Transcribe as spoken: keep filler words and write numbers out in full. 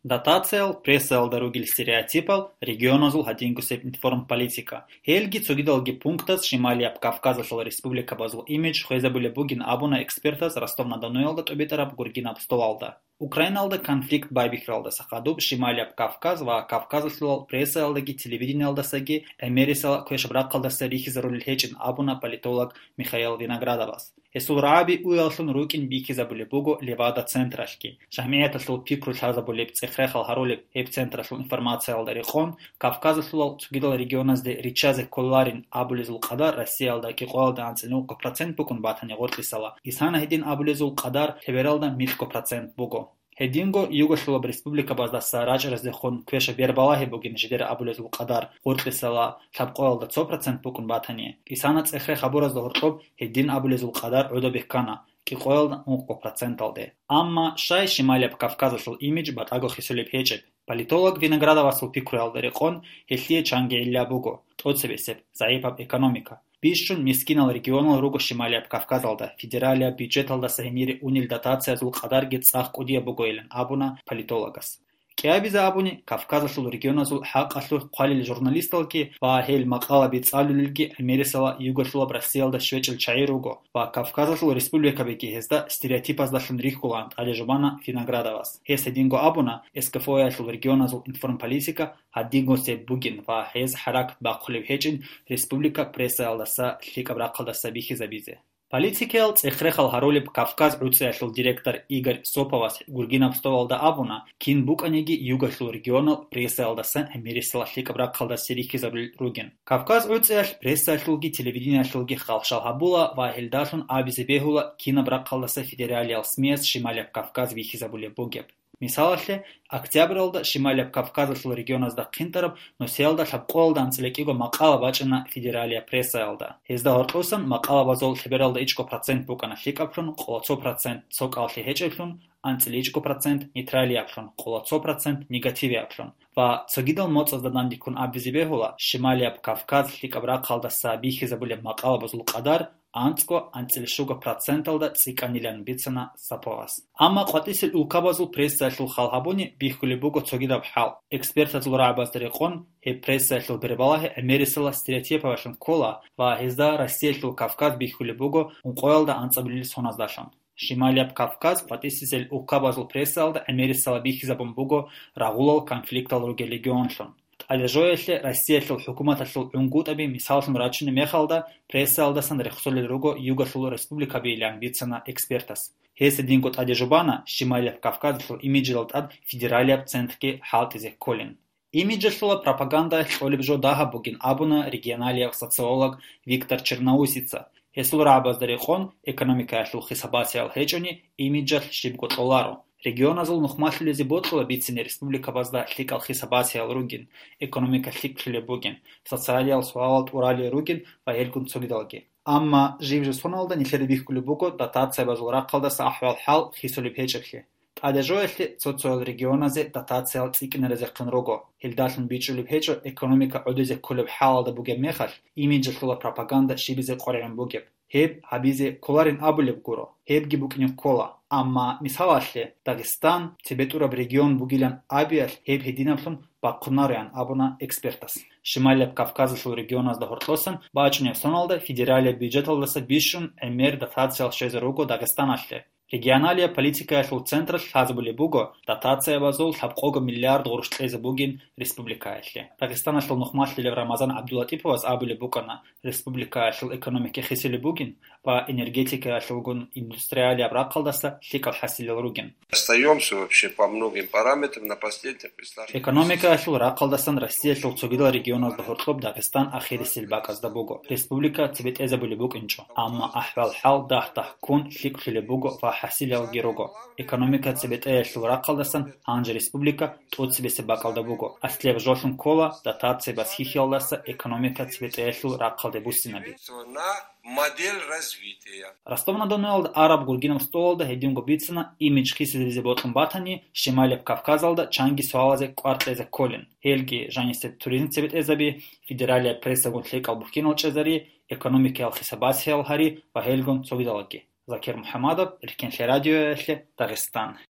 Дотациял, прессаялда ругел стереотипал, регионазул гьадингусеб информполитика. Гьелги цогидалги пунктаз Шималияб Кавказалъул республикабазул имидж хвезабулеб бугин абуна экспертаз Ростов-на-Донуялда тӀубитӀараб гургинаб столалда. Украиналда конфликт байбихьаралдаса хадуб Шималияб Кавказ ва Кавказалъулал прессаялдаги телевидениялдасаги гӀемерисела квешаб рахъалдаса рихьизарулел гьечӀин абуна политолог Михаил Виноградовас. Гьесул рагӀаби уяллъун рукӀин бихьизабулеб буго Левада централъги, жамгӀияталъул пикру лъазабулеб, цӀех-рехал гьарулеб гьеб централъул информациялда рекъон, Кавказалъулал цогидал регионазде риччазе кколарин абулезул къадар Россиялда кӀикъоялда анцӀила ункъо процент букӀун батани гъоркьисала, исана гьедин абулезул къадар лъебералда микьго процент буго. Гьединго югалъулаб республикабаздаса рачӀараздехун квешаб бербалагьи бугин жидер абулезул къадар гъоркьисала лъабкъоялда цо процент букӀун батани, исана цӀех-рех гьабуразда гьоркьоб гьедин абулезул къадар гӀодобе ккана кӀикъоялда ункъо проценталде. Амма щай Шималияб Кавказалъул имидж батӀаго хисулеб гьечӀеб? Политолог Виноградовасул пикруялда рекъон, гьелъие чанги гӀилла буго: тӀоцебесеб, загӀипаб экономика. Бищун мискинал регионал руго Шималияб Кавказалда, федералияб бюджеталдаса гьенире унел дотациязул къадарги цӀакъ кӀудияб бугойилан абуна политологас. КӀиабизе абуни, Кавказалъул регионазул хӀакъалъулъ хъвалел журналисталги ва гьел макъалаби цӀалулелги гӀемерисела югалъулаб Россиялда щвечӀел чагӀи руго ва Кавказалъул республикабиги гьезда стереотипаздалъун рихьулаан тӀаде жубана Виноградовас. Гьес гьединго абуна, СКФО-ялъул регионазул информполитика гьадингусеб бугин ва гьез хӀаракат бахъулеб гьечӀин республика прессаялдаса лъикӀаб рахъалдаса бихьизабизе. Политикиял цӀех-рехал гьарулеб Кавказ гӀуцӀиялъул директор Игорь Соповас гургинаб столалда абуна, кин букӀаниги югалъул регионал прессаялдасан гӀемерисела лъикӀаб рахъалдасе рихьизабулел ругин. Кавказ гӀуцӀиялъ прессаялъулги телевидениялъулги халщал гьабула ва гьелдалъун абизе бегьула кинаб рахъалдаса федералиял СМИяс Шималияб Кавказ бихьизабулеб бугеб. Мисалалъе, октябралда Шималияб Кавказалъул регионазда хъинтӀараб нусиялда лъабкъоялда анцӀила кӀиго макъала бачӀана федералияб прессаялда. Гьезда гьоркьосан макъалабазул лъебералда ичӀго процент букӀана лъикӀаблъун, къоло цо процент цо кӀаллъи гьечӀеблъун, анцӀила ичӀго процент нейтралияблъун, къоло цо процент негативияблъун. Ва цогидал моцӀазда дандеккун абизе бегьула, Шималияб Кавказ лъикӀаб рахъалдаса бихьизабулеб макъалабазул къадар анцӀго анцӀила щуго проценталда цӀикӀкӀанилан бицана Соповас. Амма къватӀисел улкабазул прессаялъул хал гьабуни бихьулеб буго цогидаб хӀал. Экспертазул рагӀабазда рекъон, гьеб прессаялъул бербалагьи гӀемерисела стереотипаялъун ккола ва гьезда Россиялъул Кавказ бихьулеб буго ункъоялда анцӀабилел соназдалъун. Шималияб Кавказ къватӀисел улкабазул прессаялда гӀемерисела бихьизабун буго рагъулал конфликтал ругел регионлъун. ТӀадежоялъе Россиялъул хӀукуматалъул гӀунгутӀаби мисаллъун рачунеб мехалда, прессаялдасан рехсолел руго югалъул республикабийилан бицана экспертас. Гьес гьединго тӀаде жубана Шималияб Кавказалъул имиджидал тӀад федералияб центрги хӀалтӀизе кколин. Имиджалъула пропагандаялъ кьолеб жо дагьаб бугин абуна регионалияб социолог Виктор Черноусица. Гьесул рагӀабазда рекъон, экономикаялъул хисабасиял гьечӀони, имиджалъ щибго кьоларо. Регионазул нухмалъулезе бокьула бицине республикабазда лъикӀал хисабасиял ругин, экономика лъикӀлъулеб бугин, социалиял суалал тӀуралел ругин ва гьелгун цогидалги. Амма жиб-жиб соналда нилъеда бихьулеб буго дотациябазул рахъалдаса ахӀвал-хӀал хисулеб гьечӀеблъи. ТӀадежоялъе цо-цоял регионазе дотациял цӀикӀкӀинаразехъин руго, гьелдалъун бичӀчӀулеб гьечӀо экономика гӀодизе кколеб хӀалалда бугеб мехалъ, имиджалъула пропаганда щибизе къваригӀун бугеб. Гьеб гьабизе кколарин абулеб гуро, гьебги букӀине ккола. Амма, мисалалъе, Дагъистан цебетӀураб регион бугилан абиялъ гьеб гьединаблъун бахъунароян абуна экспертас. Шималияб Кавказалъул регионазда гьоркьосан бачӀунеб соналда федералияб бюджеталдаса бищун гӀемер дотациял щвезе руго Дагъистаналъе. Регионалияб политикаялъул централъ лъазабулеб буго дотациябазул лъабкъого миллиард гъурущ кьезе бугин республикаялъе. Дагъистаналъул нухмалъилев Рамазан ГӀабдуллатӀиповас абулеб букӀана, республикаялъул экономика хисулеб бугин ва энергетикаялъулгун индустриалияб рахъалдаса лъикӀал хӀасилал ругин. Остаёмся вообще по многим параметрам на последних местах. Экономикаялъул рахъалдасан Россиялъул цогидал регионазда гьоркьоб Дагъистан ахирисел бакӀазда буго. Республика цебетӀезабулеб букӀинчӀо, амма ахӀвал-хӀал дагь-дагьккун лъикӀлъулеб буго ва хӀасилалги руго. Экономика цебетӀеялъул рахъалдасан гьанже республика тӀоцебесеб бакӀалда буго. Аслияб жолъун ккола дотациябаз хьихьиялдаса экономика цебетӀеялъул рахъалде буссинаби. На модель развития. Ростов-на-Доноялда араб гургинаб столалда гьединго бицана, имидж хисизабизе бокьун батани, Шималияб Кавказалда чанги суалазе кӀвар кьезе кколин. Гьелги жанисеб туризм цебетӀезаби, федералияб прессагун лъикӀал бухьинал чӀезари, экономикаял хисабасиял гьари ва гьелгун цогидалги. Закир МухӀамадов, Эркенлъи радиоялъе, Дагъистан.